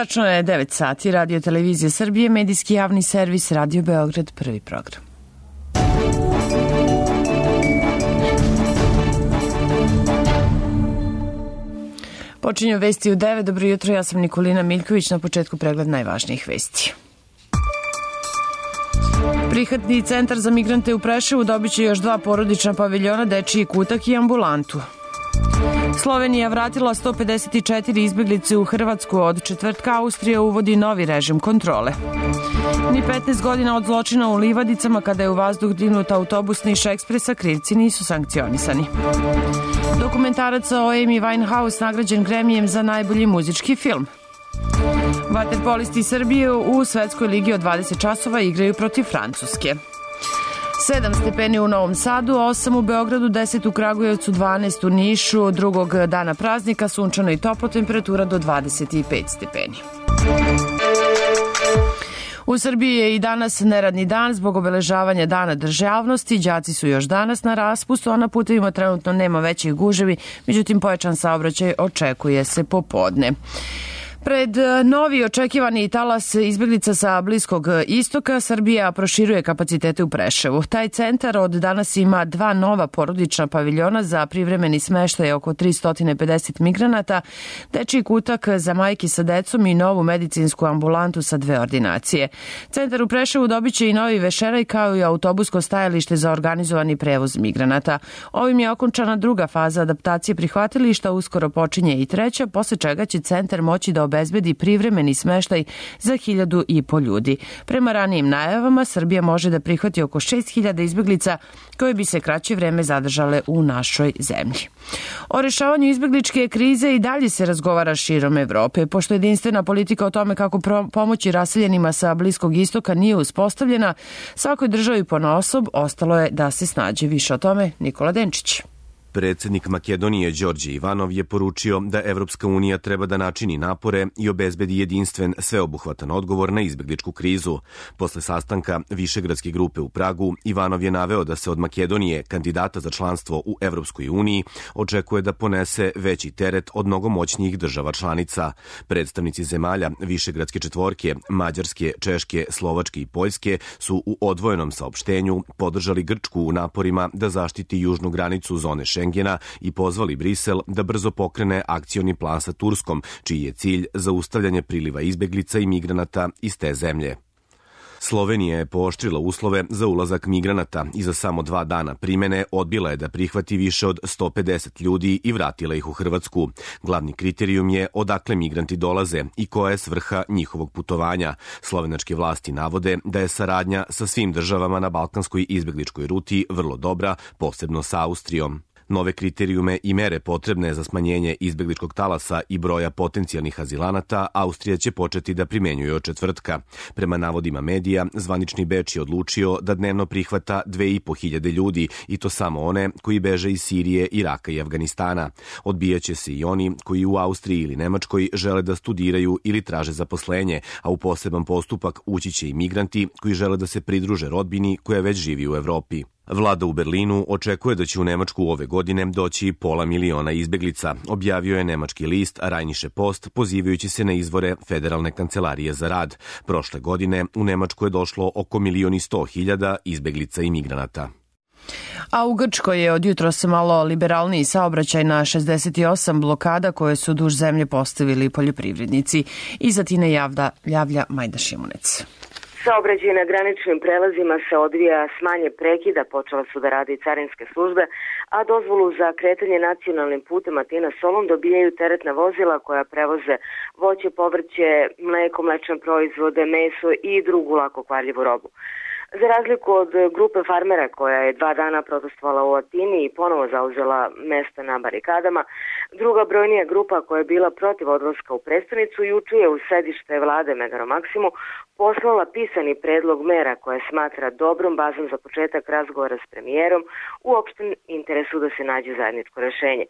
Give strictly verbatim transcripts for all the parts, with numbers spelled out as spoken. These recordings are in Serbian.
Tačno je devet sati, Radio Televizija Srbije, medijski javni servis, Radio Beograd, prvi program. Počinju vesti u devet. Dobro jutro, ja sam Nikolina Miljković, na početku pregled najvažnijih vesti. Prihvatni centar za migrante u Preševu dobit će još dva porodična paviljona, dečiji kutak i ambulantu. Slovenija vratila sto pedeset četiri izbeglice u Hrvatsku. Od četvrtka Austrija uvodi novi režim kontrole. Ni petnaest godina od zločina u Livadicama, kada je u vazduh dignut autobus Niš Ekspresa, krivci nisu sankcionisani. Dokumentarac o Amy Winehouse nagrađen Gremijem za najbolji muzički film. Vaterpolisti Srbije u Svetskoj ligi od dvadeset časova igraju protiv Francuske. sedam stepeni u Novom Sadu, osam u Beogradu, deset u Kragujevcu, dvanaest u Nišu. Drugog dana praznika sunčano i toplo, temperatura do dvadeset pet stepeni. U Srbiji je i danas neradni dan zbog obeležavanja Dana državnosti. Đaci su još danas na raspustu, a na putevima trenutno nema većih guževi, međutim pojačan saobraćaj očekuje se popodne. Pred novi očekivani talas izbeglica sa Bliskog istoka, Srbija proširuje kapacitete u Preševu. Taj centar od danas ima dva nova porodična paviljona za privremeni smeštaj oko tristo pedeset migranata, dečiji kutak za majke sa decom i novu medicinsku ambulantu sa dve ordinacije. Centar u Preševu dobit će i novi vešeraj kao i autobusko stajalište za organizovani prevoz migranata. Ovim je okončana druga faza adaptacije prihvatilišta, uskoro počinje i treća, posle čega će centar moći da obezbedi privremeni smeštaj za hiljadu i po ljudi. Prema ranijim najavama, Srbija može da prihvati oko šest hiljada izbeglica koje bi se kraće vreme zadržale u našoj zemlji. O rešavanju izbegličke krize i dalje se razgovara širom Evrope. Pošto jedinstvena politika o tome kako pomoći raseljenima sa Bliskog istoka nije uspostavljena, svakoj državi ponaosob ostalo je da se snađe. Više o tome Nikola Denčić. Predsednik Makedonije Đorđe Ivanov je poručio da Evropska unija treba da načini napore i obezbedi jedinstven, sveobuhvatan odgovor na izbegličku krizu. Posle sastanka Višegradske grupe u Pragu, Ivanov je naveo da se od Makedonije, kandidata za članstvo u Evropskoj uniji, očekuje da ponese veći teret od mnogo moćnijih država članica. Predstavnici zemalja Višegradske četvorke, Mađarske, Češke, Slovačke i Poljske su u odvojenom saopštenju podržali Grčku u naporima da zaštiti južnu granicu zone Šengena Šengena i pozvali Brisel da brzo pokrene akcioni plan sa Turskom, čiji je cilj zaustavljanje priliva izbeglica i migranata iz te zemlje. Slovenija je pooštrila uslove za ulazak migranata i za samo dva dana primene odbila je da prihvati više od sto pedeset ljudi i vratila ih u Hrvatsku. Glavni kriterijum je odakle migranti dolaze i koja je svrha njihovog putovanja. Slovenačke vlasti navode da je saradnja sa svim državama na balkanskoj izbegličkoj ruti vrlo dobra, posebno sa Austrijom. Nove kriterijume i mere potrebne za smanjenje izbegličkog talasa i broja potencijalnih azilanata Austrija će početi da primenjuje od četvrtka. Prema navodima medija, zvanični Beč je odlučio da dnevno prihvata dve i po hiljade ljudi, i to samo one koji beže iz Sirije, Iraka i Afganistana. Odbijaće se i oni koji u Austriji ili Nemačkoj žele da studiraju ili traže zaposlenje, a u poseban postupak ući će i migranti koji žele da se pridruže rodbini koja već živi u Evropi. Vlada u Berlinu očekuje da će u Nemačku ove godine doći pola miliona izbeglica, objavio je nemački list Rheinische Post, pozivajući se na izvore Federalne kancelarije za rad. Prošle godine u Nemačku je došlo oko milion i sto hiljada izbeglica i migranata. A u Grčkoj je od jutros malo liberalniji saobraćaj na šezdeset osam blokada koje su duž zemlje postavili poljoprivrednici. Iza Tine javlja, javlja Majda Šimunec. Saobraćaj na graničnim prelazima se odvija s manje prekida, počela su da rade i carinske službe, a dozvolu za kretanje nacionalnim putem Atina Solun dobijaju teretna vozila koja prevoze voće, povrće, mleko, mlečne proizvode, meso i drugu lako kvarljivu robu. Za razliku od grupe farmera koja je dva dana protestovala u Atini i ponovo zauzela mesta na barikadama, druga brojnija grupa koja je bila protiv odlaska u prestonicu juče je u sedište vlade Megaro Maksimu poslala pisani predlog mera koje smatra dobrom bazom za početak razgovora s premijerom u opštem interesu da se nađe zajedničko rešenje.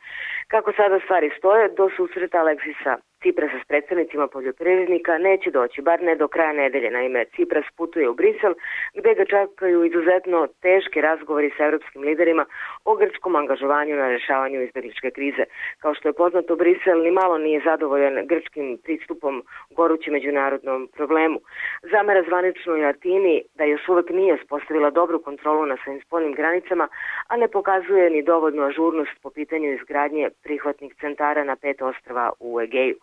Kako sada stvari stoje, do susreta Aleksisa Ciprasa s predstavnicima poljoprivrednika neće doći, bar ne do kraja nedelje. Naime, Cipras putuje u Brisel, gde ga čekaju izuzetno teški razgovori sa evropskim liderima o grčkom angažovanju na rešavanju izbegličke krize. Kao što je poznato, Brisel ni malo nije zadovoljan grčkim pristupom gorućem međunarodnom problemu. Zamera zvaničnoj Atini da još uvek nije uspostavila dobru kontrolu na svojim spoljnim granicama, a ne pokazuje ni dovoljnu ažurnost po pitanju izgradnje prihvatnih centara na pet ostrva u Egeju.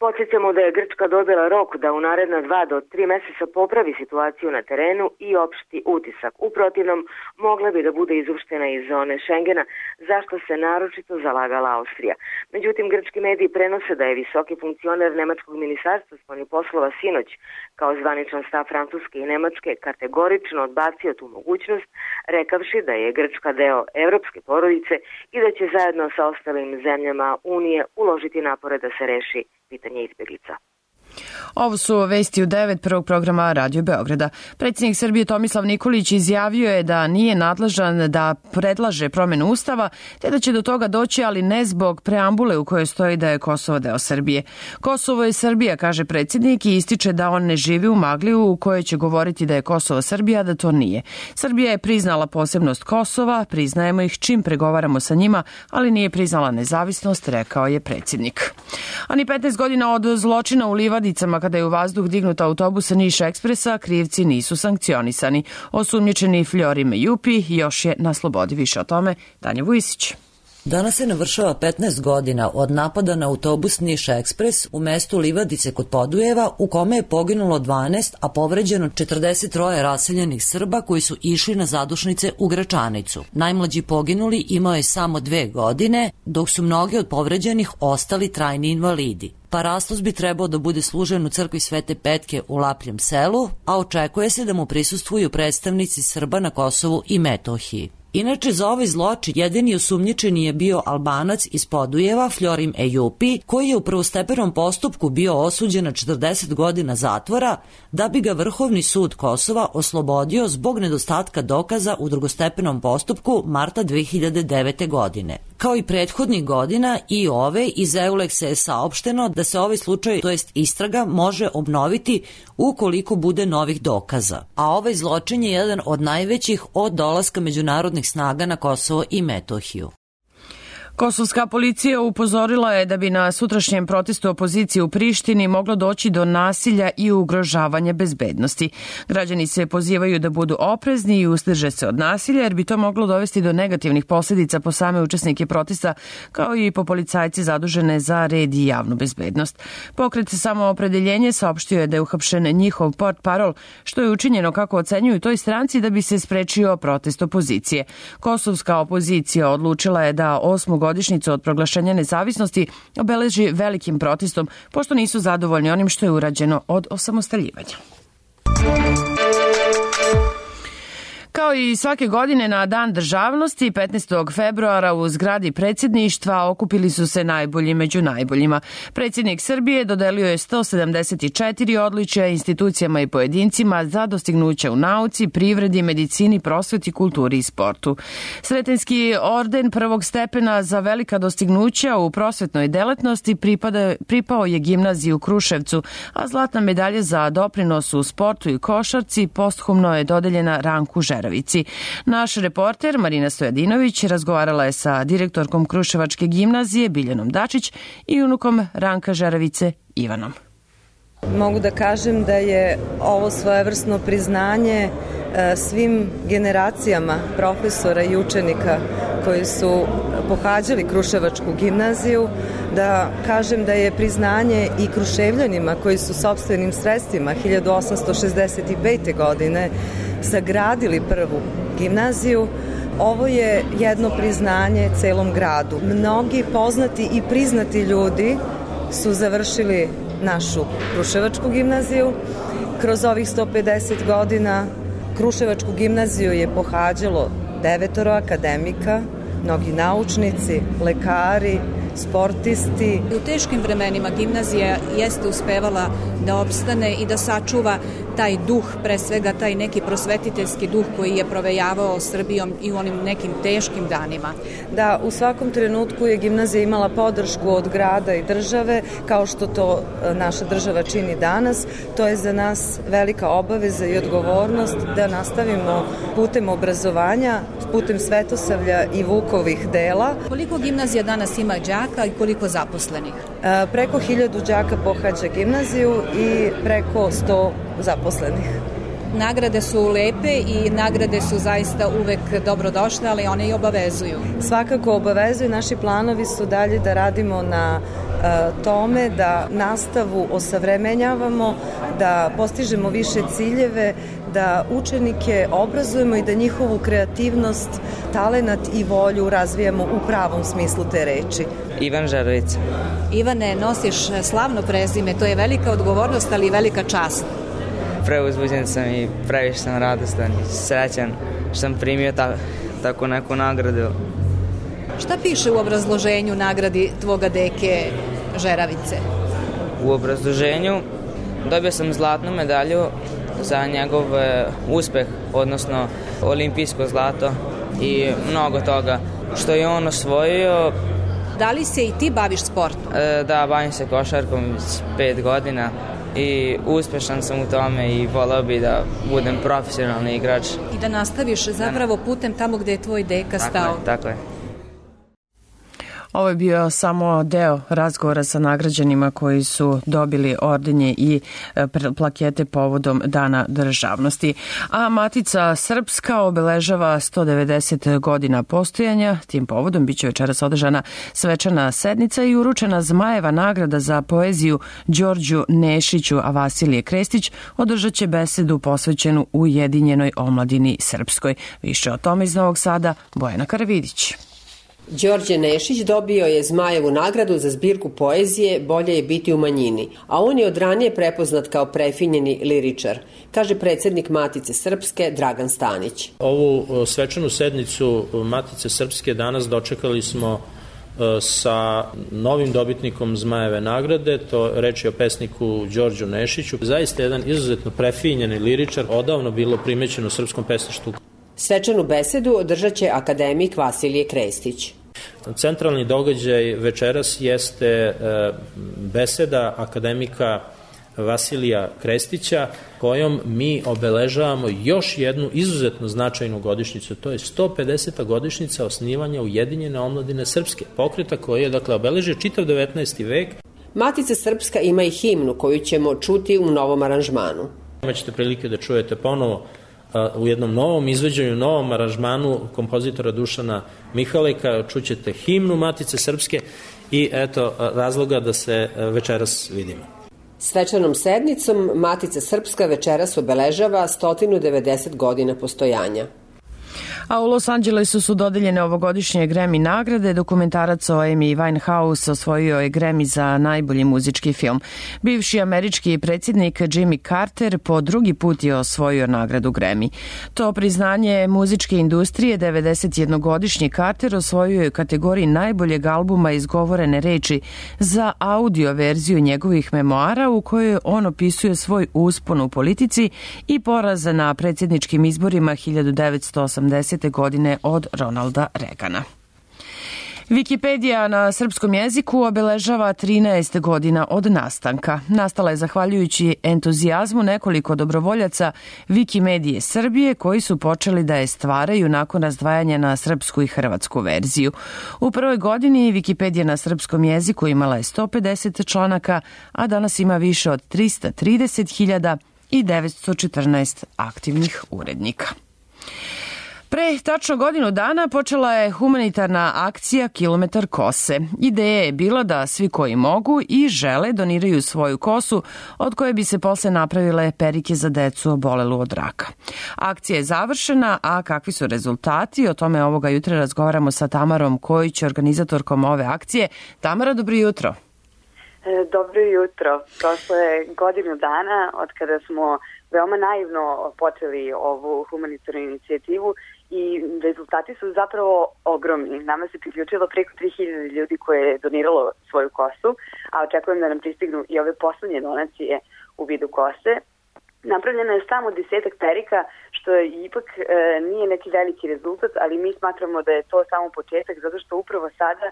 Podsjećamo da je Grčka dobila rok da u naredna dva do tri meseca popravi situaciju na terenu i opšti utisak. U protivnom, mogla bi da bude izopštena iz zone Šengena, zašto se naročito zalagala Austrija. Međutim, grčki mediji prenose da je visoki funkcioner Nemačkog ministarstva spoljnih poslova sinoć, kao zvaničan stav Francuske i Nemačke, kategorično odbacio tu mogućnost, rekavši da je Grčka deo evropske porodice i da će zajedno sa ostalim zemljama Unije uložiti napore da se reši pitanje izbjeglica. Ovo su vesti u devet prvog programa Radio Beograda. Predsjednik Srbije Tomislav Nikolić izjavio je da nije nadležan da predlaže promjenu Ustava, te da će do toga doći, ali ne zbog preambule u kojoj stoji da je Kosovo deo Srbije. Kosovo je Srbija, kaže predsjednik, i ističe da on ne živi u Magliju u kojoj će govoriti da je Kosovo Srbija, da to nije. Srbija je priznala posebnost Kosova, priznajemo ih čim pregovaramo sa njima, ali nije priznala nezavisnost, rekao je predsjednik. Ani petnaest godina od zločina u Livadicama, kada je u vazduh dignut autobus Niš Ekspresa, krivci nisu sankcionisani. Osumnjičeni Fljorim Jupi još je na slobodi. Više o tome Tanja Vujisić. Danas se navršava petnaest godina od napada na autobus Niš Ekspres u mestu Livadice kod Podujeva, u kome je poginulo dvanaest, a povređeno četrdeset troje raseljenih Srba koji su išli na zadušnice u Gračanicu. Najmlađi poginuli imao je samo dve godine, dok su mnogi od povređenih ostali trajni invalidi. Parastos bi trebao da bude služen u crkvi Svete Petke u Lapljem selu, a očekuje se da mu prisustvuju predstavnici Srba na Kosovu i Metohiji. Inače, za ovaj zločin jedini osumnjičeni je bio Albanac iz Podujeva, Fljorim Ejupi, koji je u prvostepenom postupku bio osuđen na četrdeset godina zatvora, da bi ga Vrhovni sud Kosova oslobodio zbog nedostatka dokaza u drugostepenom postupku marta dve hiljade devete. godine. Kao i prethodnih godina, i ove iz Euleksa je saopšteno da se ovaj slučaj, to jest istraga, može obnoviti ukoliko bude novih dokaza. A ovaj zločin je jedan od najvećih od dolaska međunarodnih snaga na Kosovo i Metohiju. Kosovska policija upozorila je da bi na sutrašnjem protestu opozicije u Prištini moglo doći do nasilja i ugrožavanja bezbednosti. Građani se pozivaju da budu oprezni i uzdrže se od nasilja, jer bi to moglo dovesti do negativnih posljedica po same učesnike protesta, kao i po policajci zadužene za red i javnu bezbednost. Pokret Samoopredeljenje saopštio je da je uhapšen njihov portparol, što je učinjeno, kako ocenjuju toj stranci, da bi se sprečio protest opozicije. Kosovska opozicija odlučila je da osmu godišnjicu od proglašenja nezavisnosti obeleži velikim protestom, pošto nisu zadovoljni onim što je urađeno od osamostaljivanja. Kao i svake godine na Dan državnosti, petnaestog februara u zgradi predsjedništva okupili su se najbolji među najboljima. Predsjednik Srbije dodelio je sto sedamdeset četiri odličja institucijama i pojedincima za dostignuće u nauci, privredi, medicini, prosveti, kulturi i sportu. Sretenski orden prvog stepena za velika dostignuća u prosvetnoj delatnosti pripada, pripao je gimnaziji u Kruševcu, a zlatna medalja za doprinos u sportu i košarci posthumno je dodeljena Ranku Žeravici. Naš reporter Marina Stojadinović razgovarala je sa direktorkom Kruševačke gimnazije Biljanom Dačić i unukom Ranka Žeravice Ivanom. Mogu da kažem da je ovo svojevrsno priznanje svim generacijama profesora i učenika koji su pohađali Kruševačku gimnaziju, da kažem da je priznanje i Kruševljanima koji su sopstvenim sredstvima hiljadu osamsto šezdeset pete. godine sagradili prvu gimnaziju. Ovo je jedno priznanje celom gradu. Mnogi poznati i priznati ljudi su završili našu Kruševačku gimnaziju. Kroz ovih sto pedeset godina Kruševačku gimnaziju je pohađalo devetoro akademika, mnogi naučnici, lekari, sportisti. U teškim vremenima gimnazija jeste uspevala da opstane i da sačuva taj duh, pre svega taj neki prosvetiteljski duh koji je provejavao Srbijom i u onim nekim teškim danima. Da, u svakom trenutku je gimnazija imala podršku od grada i države, kao što to naša država čini danas. To je za nas velika obaveza i odgovornost da nastavimo putem obrazovanja, putem svetosavlja i Vukovih dela. Koliko gimnazija danas ima đaka i koliko zaposlenih? E, preko hiljadu đaka pohađa gimnaziju i preko sto zaposlenih. Nagrade su lepe i nagrade su zaista uvek dobrodošle, ali one i obavezuju. Svakako obavezuju. Naši planovi su dalje da radimo na e, tome, da nastavu osavremenjavamo, da postižemo više ciljeve, da učenike obrazujemo i da njihovu kreativnost, talenat i volju razvijamo u pravom smislu te reči. Ivan Žarovica. Ivane, nosiš slavno prezime, to je velika odgovornost, ali i velika čast. Preuzbuđen sam i previše sam radostan i srećan što sam primio ta, tako neku nagradu. Šta piše u obrazloženju nagradi tvoga deke Žeravice? U obrazloženju dobio sam zlatnu medalju za njegov uspeh, odnosno olimpijsko zlato i mnogo toga što je on osvojio. Da li se i ti baviš sportom? E, da, bavim se košarkom pet godina i uspešan sam u tome i voleo bi da budem profesionalni igrač. I da nastaviš zapravo putem tamo gde je tvoj deka stao. Tako je, tako je. Ovo je bio samo deo razgovora sa nagrađenima koji su dobili ordenje i plakete povodom Dana državnosti. A Matica Srpska obeležava sto devedeset godina postojanja. Tim povodom biće večeras održana svečana sednica i uručena Zmajeva nagrada za poeziju Đorđu Nešiću, a Vasilije Krestić održat će besedu posvećenu Ujedinjenoj omladini srpskoj. Više o tome iz Novog Sada, Bojana Karavidić. Đorđe Nešić dobio je Zmajevu nagradu za zbirku poezije Bolje je biti u manjini, a on je od ranije prepoznat kao prefinjeni liričar, kaže predsednik Matice Srpske Dragan Stanić. Ovu svečanu sednicu Matice Srpske danas dočekali smo sa novim dobitnikom Zmajeve nagrade, to reč je o pesniku Đorđu Nešiću. Zaista jedan izuzetno prefinjeni liričar, odavno bilo primećeno u srpskom pesništvu. Svečanu besedu održat će akademik Vasilije Krestić. Centralni događaj večeras jeste beseda akademika Vasilija Krestića, kojom mi obeležavamo još jednu izuzetno značajnu godišnjicu. To je sto pedeseta godišnjica osnivanja Ujedinjene omladine srpske, pokreta koji je, dakle, obeležio čitav devetnaesti vek. Matica Srpska ima i himnu koju ćemo čuti u novom aranžmanu. Imaćete prilike da čujete ponovo u jednom novom izveđenju, novom aranžmanu kompozitora Dušana Mihaleka, čućete himnu Matice Srpske i eto razloga da se večeras vidimo. Svečanom sednicom Matica Srpska večeras obeležava sto devedeset godina postojanja. A u Los Angelesu su dodeljene ovogodišnje Grammy nagrade. Dokumentarac o Amy Winehouse osvojio je Grammy za najbolji muzički film. Bivši američki predsjednik Jimmy Carter po drugi put je osvojio nagradu Grammy. To priznanje muzičke industrije devedesetjednogodišnji Carter osvojio je u kategoriji najboljeg albuma izgovorene reči za audio verziju njegovih memoara u kojoj on opisuje svoj uspon u politici i poraz na predsjedničkim izborima hiljadu devetsto osamdesete godine od Ronalda Reagana. Wikipedija na srpskom jeziku obeležava trinaest godina od nastanka. Nastala je zahvaljujući entuzijazmu nekoliko dobrovoljaca Wikimedije Srbije koji su počeli da je stvaraju nakon razdvajanja na srpsku i hrvatsku verziju. U prvoj godini Wikipedija na srpskom jeziku imala je sto pedeset članaka, a danas ima više od trista trideset hiljada i devetsto četrnaest aktivnih urednika. Pre tačno godinu dana počela je humanitarna akcija Kilometar kose. Ideja je bila da svi koji mogu i žele doniraju svoju kosu, od koje bi se posle napravile perike za decu obolelu od raka. Akcija je završena, a kakvi su rezultati? O tome ovoga jutra razgovaramo sa Tamarom Kojić, organizatorkom ove akcije. Tamara, dobro jutro. Dobro jutro. Prošlo je godinu dana od kada smo veoma naivno počeli ovu humanitarnu inicijativu i rezultati su zapravo ogromni. Nama se priključilo preko tri hiljade ljudi koje je doniralo svoju kosu, a očekujem da nam pristignu i ove poslednje donacije u vidu kose. Napravljeno je samo desetak perika, što je ipak e, nije neki veliki rezultat, ali mi smatramo da je to samo početak, zato što upravo sada, e,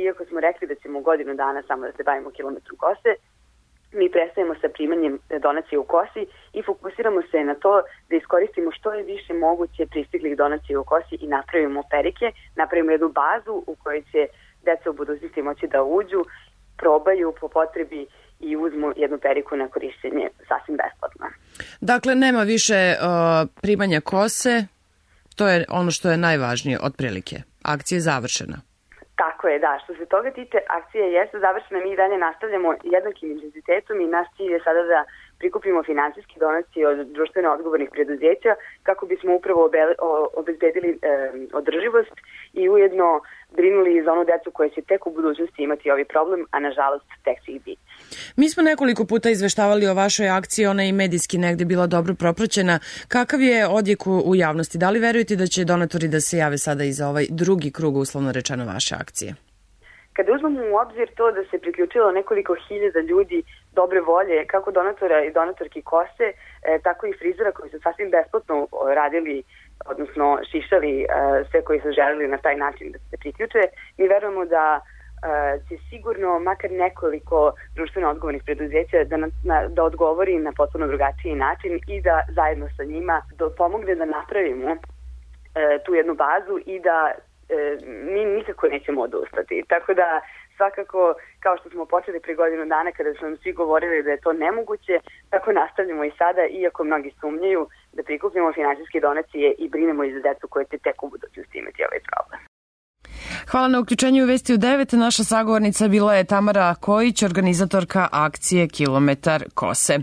iako smo rekli da ćemo godinu dana samo da se bavimo kilometrom kose, mi prestajemo sa primanjem donacije u kosi i fokusiramo se na to da iskoristimo što je više moguće pristiglih donacija u kosi i napravimo perike, napravimo jednu bazu u kojoj će deca u budućnosti moći da uđu, probaju po potrebi i uzmu jednu periku na korišćenje sasvim besplatno. Dakle, nema više uh, primanja kose, to je ono što je najvažnije otprilike. Akcija je završena. Tako je, da. Što se toga tiče, akcija jeste završena, mi i dalje nastavljamo jednakim intenzitetom i naš cilj je sada da prikupimo finansijske donacije od društveno odgovornih preduzeća kako bismo upravo obezbedili e, održivost i ujedno brinuli za onu decu koje će tek u budućnosti imati ovaj problem, a nažalost tek će ih biti. Mi smo nekoliko puta izveštavali o vašoj akciji, ona je i medijski negde bila dobro propraćena. Kakav je odjek u, u javnosti? Da li verujete da će donatori da se jave sada i za ovaj drugi krug, uslovno rečeno, vaše akcije? Kada uzmemo u obzir to da se priključilo nekoliko hiljada ljudi dobre volje, kako donatora i donatorki kose, e, tako i frizera koji su sasvim besplatno radili, odnosno šišali e, sve koji su želeli na taj način da se priključe, mi verujemo da e, će sigurno makar nekoliko društveno odgovornih preduzeća da, na, da odgovori na potpuno drugačiji način i da zajedno sa njima da pomogne da napravimo e, tu jednu bazu i da mi nikako nećemo odustati. Tako da svakako, kao što smo počeli pre godinu dana kada su nam svi govorili da je to nemoguće, tako nastavljamo i sada, iako mnogi sumnjaju da prikupimo finansijske donacije i brinemo i za decu koje će tek u budućnosti imati ovaj problem. Hvala na uključenju u Vesti u devet. Naša sagovornica bila je Tamara Kojić, organizatorka akcije Kilometar kose.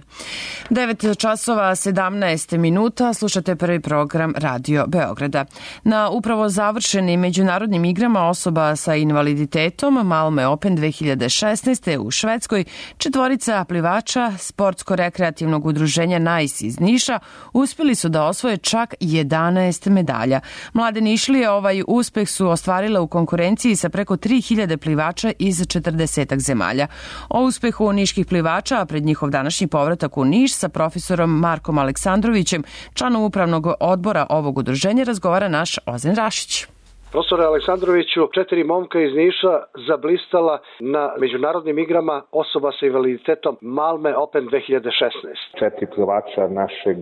devet časova sedamnaest minuta, slušate prvi program Radio Beograda. Na upravo završenim međunarodnim igrama osoba sa invaliditetom Malmö Open dve hiljade šesnaeste u Švedskoj, četvorica plivača sportsko-rekreativnog udruženja Nice iz Niša uspjeli su da osvoje čak jedanaest medalja. Mlade Nišlije ovaj uspeh su ostvarile u konkurenciji sa preko tri hiljade plivača iz četrdesetak zemalja. O uspehu niških plivača, a pred njihov današnji povratak u Niš sa profesorom Markom Aleksandrovićem, članom upravnog odbora ovog udruženja, razgovara naš Ozen Rašić. Profesore Aleksandroviću, četiri momka iz Niša zablistala na međunarodnim igrama osoba sa invaliditetom Malmö Open dve hiljade šesnaeste. Četiri plivača našeg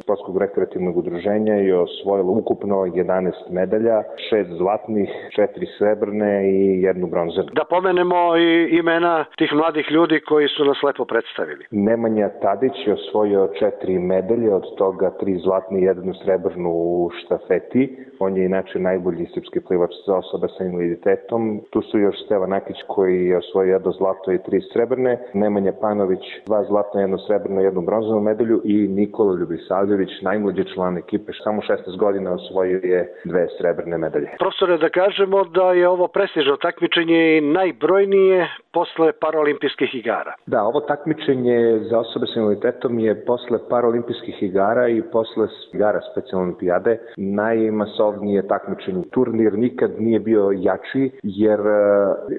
sportskog rekreativnog udruženja je osvojilo ukupno jedanaest medalja, šest zlatnih, četiri srebrne i jednu bronzanu. Da pomenemo i imena tih mladih ljudi koji su nas lepo predstavili. Nemanja Tadić je osvojio četiri medalje, od toga tri zlatne i jednu srebrnu u štafeti. On je inače najbolji srpski plivač za osobe sa invaliditetom. Tu su još Stevan Nakić koji je osvojio jedno zlato i tri srebrne, Nemanja Panović dva zlatna, jedno srebrno i jednu bronzanu medalju i Nikola Ljubisavljević, najmlađi član ekipe, samo šesnaest godina osvojio je dve srebrne medalje. Profesore, da kažemo da je ovo prestižno takmičenje i najbrojnije posle paraolimpijskih igara. Da, ovo takmičenje za osobe sa invaliditetom je posle paraolimpijskih igara i posle igara specijalne olimpijade najmasovnije takmičenje. Turnir nikad nije bio jači, jer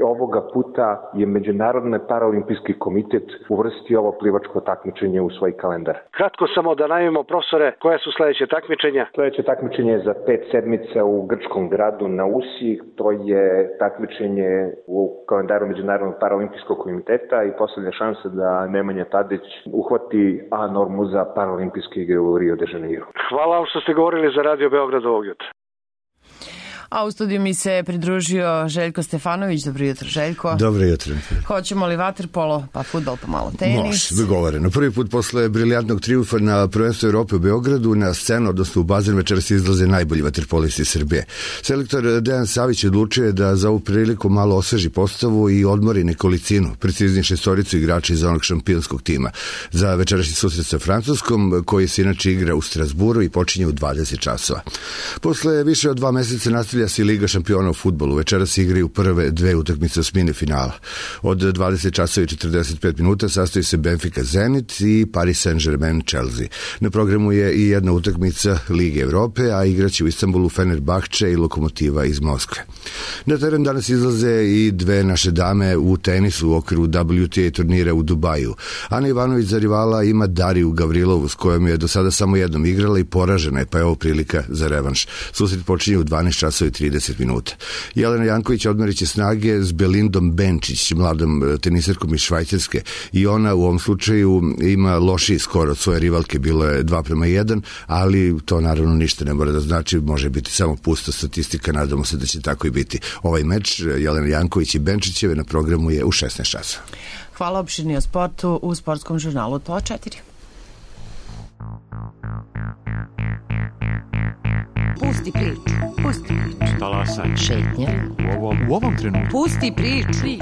ovoga puta je Međunarodni paraolimpijski komitet uvrstio ovo plivačko takmičenje u svoj kalendar. Kratko samo da najavimo, profesore, koje su sledeće takmičenja? Sledeće takmičenje je za pet sedmica u grčkom gradu na Usi. To je takmičenje u kalendaru Međunarodnog paraolimpijskog komiteta i poslednja šansa da Nemanja Tadić uhvati A normu za paraolimpijske igre u Rio de Janeiro. Hvala vam što ste govorili za Radio Beograd ovog jutra. A u studiju mi se pridružio Željko Stefanović. Dobro jutro, Željko. Dobro jutro. Hoćemo li vaterpolo, pa fudbal, pa malo tenis? Može, dogovoreno. Prvi put posle briljantnog triumfa na prvenstvu Evrope u Beogradu na scenu, odnosno u bazen, večeras izlaze najbolji vaterpolisti Srbije. Selektor Dejan Savić odlučio je da za ovu priliku malo osveži postavu i odmori nekolicinu, preciznije šestoricu igrača iz onog šampionskog tima za večerašnji susret sa Francuskom, koji se inače igra u Strasburu i počinje u dvadeset časova. Posle više od dva meseca nastavlja Nastavlja se Liga šampiona u fudbalu. Večeras se igraju prve dve utakmice osmine finala. Od dvadeset časova i četrdeset pet minuta sastoji se Benfica Zenit i Paris Saint-Germain Chelsea. Na programu je i jedna utakmica Lige Evrope, a igraće u Istanbulu Fenerbahče i Lokomotiva iz Moskve. Na teren danas izlaze i dve naše dame u tenisu u okviru W T A turnira u Dubaju. Ana Ivanović za rivala ima Dariju Gavrilovu, s kojom je do sada samo jednom igrala i poražena je, pa je ovo prilika za revanš. Susret počinje u dvanaest časova i trideset minuta. Jelena Janković odmerit će snage s Belindom Benčić, mladom tenisarkom iz Švajcarske, i ona u ovom slučaju ima lošiji skor od svoje rivalke, bilo je dva prema jedan, ali to naravno ništa ne mora da znači, može biti samo pusta statistika, nadamo se da će tako i biti. Ovaj meč Jelena Janković i Benčićeve na programu je u šesnaest časova. Hvala, opširni o sportu u sportskom žurnalu To četiri. Pusti priču, pusti priču. Talasaj. Šetnja. U ovom, u ovom trenutku. Pusti priču.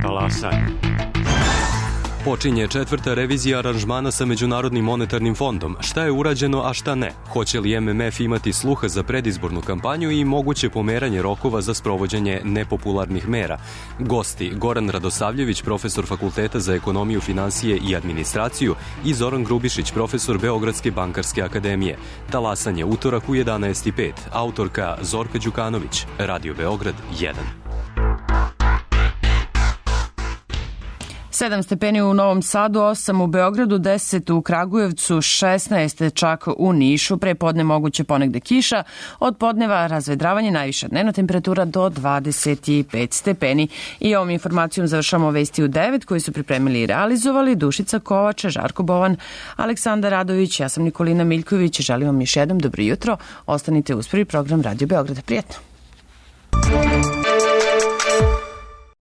Talasaj. Počinje četvrta revizija aranžmana sa Međunarodnim monetarnim fondom. Šta je urađeno, a šta ne? Hoće li M M F imati sluha za predizbornu kampanju i moguće pomeranje rokova za sprovođenje nepopularnih mera? Gosti Goran Radosavljević, profesor Fakulteta za ekonomiju, finansije i administraciju, i Zoran Grubišić, profesor Beogradske bankarske akademije. Talasanje utorak u jedanaest i pet. Autorka Zorka Đukanović. Radio Beograd jedan. sedam stepeni u Novom Sadu, osam u Beogradu, deset u Kragujevcu, šesnaest čak u Nišu. Pre podne moguće ponegde kiša, od podneva razvedravanje, najviša dnevna temperatura do dvadeset pet stepeni. I ovom informacijom završamo vesti u devet koji su pripremili i realizovali Dušica Kovača, Žarko Bovan, Aleksandar Radović, ja sam Nikolina Miljković. Želim vam još jednom dobro jutro. Ostanite uz prvi program Radio Beograda. Prijetno.